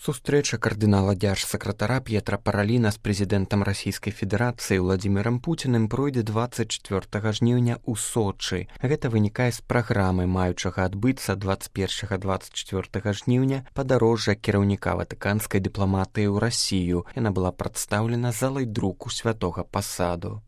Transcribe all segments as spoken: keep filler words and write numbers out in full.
Сустрэча кардынала дзяржсакратара П'етра Параліна з прэзідэнтам Расійскай Федэрацыі Владзімірам Пуціным пройдзе дваццаць чацвёртага жніўня ў Сочы. Гэта вынікае з праграмы, маючага адбыцца дваццаць першага - дваццаць чацвёртага жніўня падарожжа кіраўніка ватыканскай дыпламатыі ў Расію. Яна была прадстаўлена залай друку святога пасаду.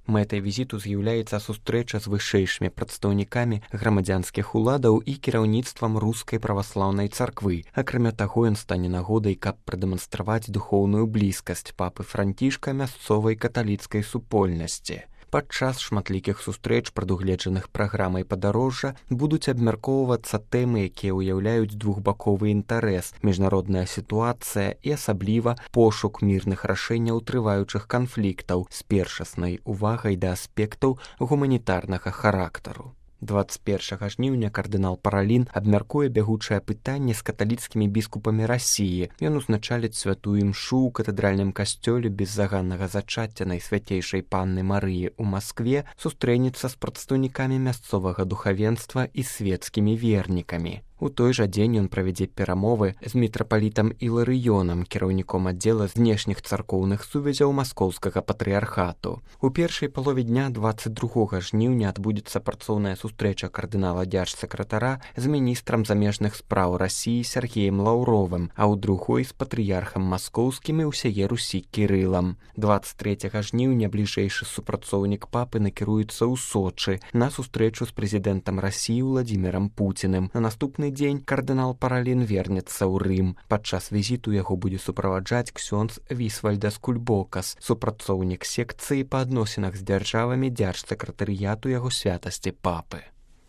Мэтай візіту з'яўляецца сустрэча з вышэйшымі прадстаўнікамі грамадзянскіх уладаў і кіраўніцтвам рускай праваслаўнай царквы. Акрамя таго, ён стане нагодай, каб прадэманстраваць духоўную блізкасць папы Францішка мясцовай каталіцкай супольнасці. Падчас шматлікіх сустрэч, прадугледжаных праграмай падарожжа, будуць абмяркоўвацца тэмы, якія ўяўляюць двухбаковы інтарэс, міжнародная сітуацыя і асабліва пошук мірных рашэнняў трываючых канфліктаў з першаснай увагай да аспектаў гуманітарнага характару. дваццаць першага жніўня кардынал Паралін абмяркуе бягучае пытанне з каталіцкімі біскупамі Расіі. Ён узначаліць святую імшу ў катэдральным касцёле беззаганнага зачацця Найсвяцейшай Панны Марыі ў Маскве, сустрэнецца з прадстаўнікамі мясцовага духавенства і свецкімі вернікамі. У той жа дзень ён правядзе перамовы з мітрапалітам Іларыёнам, кіраўніком аддзела знешніх царкоўных сувязяў маскоўскага патрыярхату. У першай палове дня дваццаць другога жніўня адбудзецца працоўная сустрэча кардынала дзяржсакратара з міністрам замежных спраў Расіі Сергеем Лаўровым, а ў другой з патрыярхам маскоўскім і ўсяе Русі Кірылам. дваццаць трэцяга жніўня бліжэйшы супрацоўнік папы накіруецца ў Сочы на сустрэчу з прэзідэнтам Расіі Владзімірам Пуціным. На наступны дзень кардынал Паралін вернецца ў Рым. Падчас візіту яго будзе суправаджаць ксёндз Вісвальдас Кульбокас, супрацоўнік секцыі па адносінах з дзяржавамі дзяржсакратарыяту яго святасці папы.